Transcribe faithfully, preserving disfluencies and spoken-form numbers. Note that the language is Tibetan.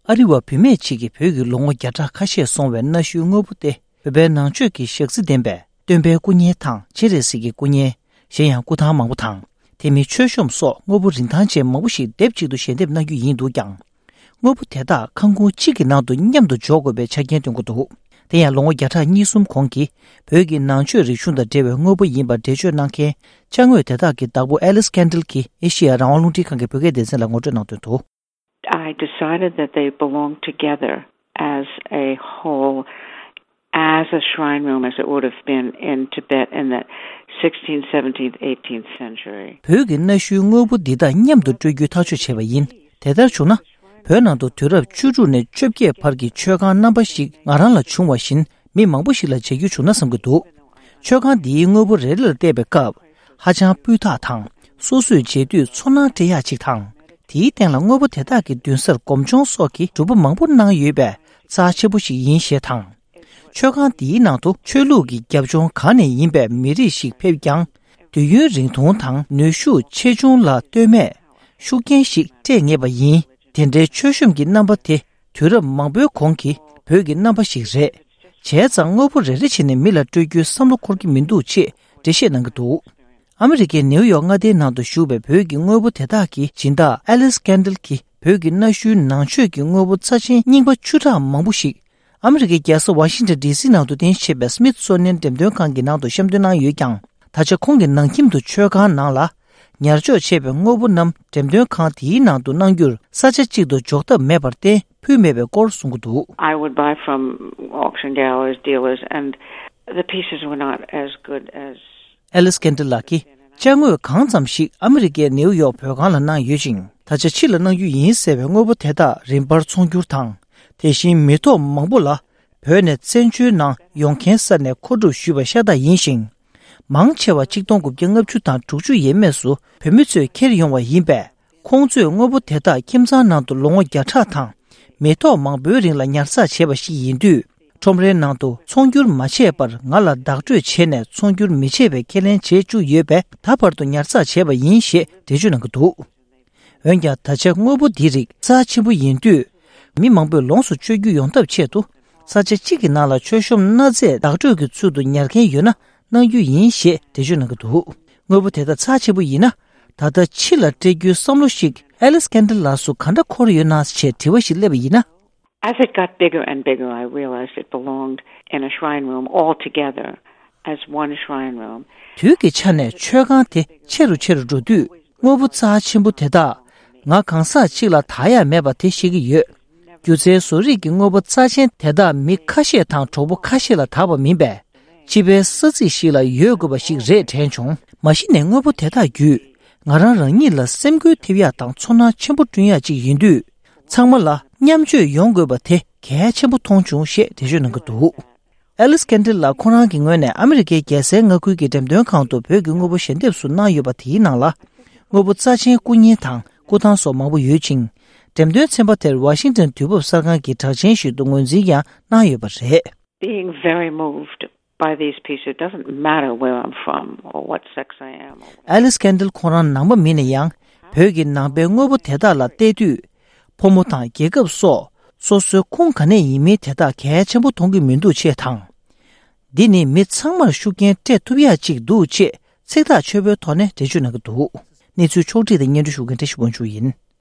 ཨ་རི་བ་བུད་མེད་ཅིག་གིས་བོད་ཀྱི་ལོ་ངོ་བརྒྱ་ཕྲག་ཁ་ཤས་སོང་བའི་གནའ་ཤུལ་དངོས་པོ་སྟེ། བོད་པའི་ནང་ཆོས་ཀྱི་ཞག་རྩི་ལྡན་པའི་སྟོན་པའི་སྐུ་བརྙན་དང་སྤྱན་རས་གཟིགས་ཀྱི་སྐུ་བརྙན། གཞན་ཡང་སྐུ་ཐང་མང་པོ་དང་། དེ་མིན་མཆོད་གཤོམ་སོགས་དངོས་པོ་རིན་ཐང་ཅན་མང་པོ་ཞིག་སྡེབ་གཅིག་ཏུ་ཞལ་འདེབས་གནང་རྒྱུ་ཡིན་འདུག་ཀྱང་། དངོས་པོ་དེ་དག་ཁང་ཁུངས་གཅིག་གི་ནང་དུ་མཉམ་དུ་འཇོག་དགོས་པའི་ཆ་རྐྱེན་བཏོན་གྱི་འདུག་དེ་ཡང་ལོ་ངོ་བརྒྱ་ཕྲག་གཉིས་གསུམ་གོང་གི་བོད་ཀྱི་ནང་ཆོས་རིག་གཞུང་དང་འབྲེལ་བའི་དངོས་པོ་ཡིན་པར་འགྲེལ་བརྗོད་གནང་མཁན་ཅ་དངོས་དེ་དག་གི་བདག་པོ་ཨེ་ལིས་ཀན་ཌལ་གྱིས་ཨེ་ཤེ་ཡ་རང་དབང་རླུང་འཕྲིན་ཁང་གི་བོད་སྐད་སྡེ་ཚན་ལ་ངོ་སྤྲོད་གནང་དོན་དུ། I decided that they belong together as a whole, as a shrine room as it would have been in Tibet in the sixteenth, seventeenth, eighteenth century. བོད་ཀྱི་གནའ་ཤུལ་དངོས་པོ་འདི་དག་མཉམ་དུ་སྤྲོད་རྒྱུའི་ཐག་གཅོད་བྱས་པ་ཡིན། དེ་ལྟར་བྱུང་ན། བོད་ནང་དུ་དུས་རབས་བཅུ་དྲུག་ནས་བཅོ་བརྒྱད་བར་གྱི་མཆོད་ཁང་རྣམ་པ་ཞིག་ང་རང་ལ་བྱུང་བ་བཞིན་མི་མང་པོ་ཞིག་ལ་མཇལ་རྒྱུ་བྱུང་ན་བསམ་གྱི་འདུག་མཆོད་ཁང་འདིའི་དངོས་པོ་རེ་རེ་ལ་བལྟས་པའི་སྐབས། ཧ་ཅང་སྤུས་དག་དང་། སོ་སོས་མཇལ་དུས་ཚོར་སྣང་སྤྲད་ཡག་ཅིག་དང་། དེའི་སྟེང་ལ་དངོས་པོ་དེ་དག་གི་མདུན་སར་སྒོམ་ཆུང་སོགས་ཀྱི་སྒྲུབ་པ་མང་པོ་གནང་ཡོད་པས་རྩ་ཆེན་པོ་ཞིག་ཡིན་ཞེས་དང་། མཆོད་ཁང་འདིའི་ནང་དུ་ཆོས་ལུགས་ཀྱི་རྒྱབ་ལྗོངས་གང་ནས་ཡིན་པའི་མི་རིགས་ཤིག་ཕེབས་ཀྱང་། དུས་ཡུན་རིང་ཐུང་དང་ནུས་ཤུགས་ཆེ་ཆུང་ལ་ལྟོས་མེད་ཤུགས་རྐྱེན་ཞིག་སྤྲད་ངེས་པ་ཡིན། དེ་འདྲའི་མཆོད་གཤོམ་གྱི་རྣམ་པ་དེ་དུས་རབས་མང་པོའི་གོང་གི་བོད་ཀྱི་རྣམ་པ་ཞིག་རེད། བྱས་ཙང་དངོས་པོ་རེ་རེ་བྱས་ནས་མི་ལ་སྤྲོད་རྒྱུའི་བསམ་བློ་འཁོར་གྱི་མི་འདུག་ཅེས་འགྲེལ་བཤད་གནང་གི་འདུག་ཨ་མི་རི་ཀའི་ནེའུ་ཡོག་མངའ་སྡེའི་ནང་དུ་བཞུགས་པའི་བོད་ཀྱི་དངོས་པོ་དེ་དག་གི་སྦྱིན་བདག་ཨེ་ལིས་ཀན་ཌལ་གྱིས་བོད་ཀྱི་གནའ་ཤུལ་ནང་ཆོས་ཀྱི་དངོས་པོ་རྩ་ཆེན་རྙིང་པ་བཅུ་ཕྲག་མང་པོ་ཞིག་ཨ་མི་རི་ཀའི་རྒྱལ་ས་ཝ་ཤིང་ཊོན་ཌི་སི་ནང་དུ་རྟེན་གཞི་བྱས་པའི་སྨིད་སོ་ནི་ཡན་འགྲེམས་སྟོན་ཁང་གི་ནང་དུ་བཤམས་སྟོན་གནང་ཡོད་ཀྱང་། ད་ཆ་ཁོང་གི་ནང་ཁྱིམ་དུ་མཆོད་ཁང་ནང་ལ་ཉར་འཇོག་བྱས་པའི་དངོས་པོ་རྣམས་འགྲེམས་སྟོན་ཁང་དེའི་ནང་དུ་གནང་རྒྱུར་ས་ཆ་གཅིག་ཏུ་འཇོག་ཐབས་མེད་པར་བརྟེན་ཕུལ་མེད་པའི་སྐོར་གསུང་གི་འདུག I would buy from auction galleries, dealers, and the pieces were not as good as ཨེ་ལིས་ཀན་ཌལ་ལགས་ཀྱིས་ཅ་དངོས་གང་ཙམ་ཞིག་ཨ་མི་རི་ཀའི་ནེའུ་ཡོག་བོད་ཁང་ལ་གནང་ཡོད་ཅིང་། ད་ཆ་ཕྱི་ལ་གནང་རྒྱུ་ཡིན་ཟེར་བའི་དངོས་པོ་དེ་དག་རིམ་པར་ཚོང་བསྒྱུར་དང་། དེ་བཞིན་མི་ཐོག་མང་པོ་ལ་བོད་ནས་བཙན་བྱོལ་ནང་ཡོང་མཁན་ས་ནས་མཁོ་སྒྲུབ་ཞུས་པ་ཤ་སྟག་ཡིན་ཞིང་། མང་ཆེ་བ་ཆིག་སྟོང་དགུ་བརྒྱ་ལྔ་བཅུ་དང་དྲུག་ཅུ་ཡས་མས་སུ་བོད་མི་ཚོས་འཁྱེར་ཡོང་བ་ཡིན་པས། ཁོང་ཚོས་དངོས་པོ་དེ་དག་ཁྱིམ་ཚང་ནང་དུ་ལོ་ངོ་བརྒྱ་ཕྲག་དང་མི་ཐོག་མང་པོའི་རིང་ལ་ཉར་ཚགས་བྱས་པ་ཞིག་ཡིན་དུས། ཁྲོམ་རའི་ནང་དུ་ཚོང་བསྒྱུར་མ་བྱས་པར་ང་ལ་བདག་སྤྲོད་བྱས་ནས་ཚོང་བསྒྱུར་མི་བྱེད་པའི་ཁས་ལེན་བྱས་བཅུག་ཡོད་པས། ད་བར་དུ་ཉར་ཚགས་བྱས་པ་ཡིན་ཞེས་འགྲེལ་བརྗོད་གནང་གི་འདུག་འོན་ཀྱང་། ད་ཆ་དངོས་པོ་འདིའི་རིགས་རྩ་ཆེན་པོ་ཡིན་དུས། མི་མང་པོས་ལོངས་སུ་སྤྱོད་རྒྱུ་ཡོང་ཐབས་ཆེད་དུ། ས་ཆ་གཅིག་གི་ནང་ལ་མཆོད་གཤོམ་གནའ་རྫས་བདག་སྤྲོད་ཀྱི་ཚུལ་དུ་ཉར་མཁན་ཡོད་ན་གནང་རྒྱུ་ཡིན་ཞེས་འགྲེལ་བརྗོད་གནང་གི་འདུག་དངོས་པོ་དེ་དག་རྩ་ཆེན་པོ་ཡིན་ན། ད་ལྟ་ཕྱི་ལ་སྤྲད་རྒྱུའི་བསམ་བློ་ཞིག་ཨེ་ལིས་ཀན་ཌལ་ལགས་སུ་ག་འདྲ་འཁོར་ཡོད་ན་ཞེས་དྲི་བ་ཞིག་སླེབས་པ་ཡིན་ན། As it got bigger and bigger, I realized it belonged in a shrine room altogether, as one shrine room. དུས་ཀྱི་ཆ་ནས་མཆོད་ཁང་དེ་ཆེ་རུ་ཆེ་རུ་འགྲོ་དུས། དངོས་པོ་རྩ་ཆེན་པོ་དེ་དག་ང་གང་ཟག་གཅིག་ལ་དག་ཡ་མེད་པ་དེ་ཤེས་ཀྱི་ཡོད། སྒྱུ་རྩལ་བཟོ་རིག་གི་དངོས་པོ་རྩ་ཆེན་དེ་དག་མི་ཁ་ཤས་དང་གྲོགས་པོ་ཁ་ཤས་ལ་དག་པ་མིན་པས། སྤྱི་པའི་ས་ཚིགས་ཤིག་ལ་ཡོད་དགོས་པ་ཞིག་རེད་དྲན་བྱུང་། མ་གཞི་ནས་དངོས་པོ་དེ་དག་བརྒྱུད་ང་རང་རང་ཉིད་ལ་སེམས་འགུལ་ཐེབས་ཡག་དང་ཚོར་སྣང་ཆེན་པོ་བསྐྲུན་ཡག་ཅིག་ཡིན་དུས། ཚང་མ་ལ་མཉམ་སྤྱོད་ཡོང་དགོས་པ་དེ་གལ་ཆེན་པོ་མཐོང་བྱུང་ཞེས་འགྲེལ་བརྗོད་གནང་གི་འདུག་ཨེ་ལིས་ཀན་ཌལ་ལགས་ཁོ་རང་གི་ངོས་ནས་ཨ་མི་རི་ཀའི་རྒྱལ་སའི་མངའ་ཁུལ་གྱི་འགྲེམས་སྟོན་ཁང་དུ་བོད་ཀྱི་དངོས་པོ་ཞལ་འདེབས་སུ་གནང་ཡོད་པ་དེའི་ནང་ལ། དངོས་པོ་རྩ་ཆེན་སྐུ་བརྙན་དང་སྐུ་ཐང་སོགས་མང་པོ་ཡོད་ཅིང་། འགྲེམས་སྟོན་ཚན་པ་དེར་ཝ་ཤིང་ཊོན་དུས་བབ་གསར་ཁང་གི་གྲགས་ཅན་ཞིག་ཏུ་ངོས་འཛིན་ཡང་གནང་ཡོད་པ་རེད། Being very moved by these pieces, it doesn't matter where I'm from or what sex I am. ཨེ་ལིས་ཀན་ཌལ་ཁོང་རང་ནང་པ་མིན་ན་ཡང་། བོད་ཀྱི་ནང་པའི་དངོས་པོ་དེ་དག་ལ་བལྟས་དུས། ཕོ་མོ་དང་རྒྱལ་ཁབ་སོགས་སོ་སོའི་ཁུངས་ག་ནས་ཡིན་མིན་དེ་དག་གལ་ཆེན་པོ་མཐོང་གི་མི་འདུག་ཅེས་དང་། འདི་ནི་མི་ཚང་མར་ཤུགས་རྐྱེན་སྤྲད་ཐུབ་ཡག་ཅིག་འདུག་ཅེས་ཚིག་ཐག་ཆོད་པོའི་ཐོག་ནས་འགྲེལ་བརྗོད་གནང་གི་འདུག་གནས་ཚུལ་ཕྱོགས་བསྒྲིགས་དང་སྙན་སྒྲོན་ཞུ་མཁན་བཀྲ་ཤིས་དབང་ཕྱུག་ཡིན།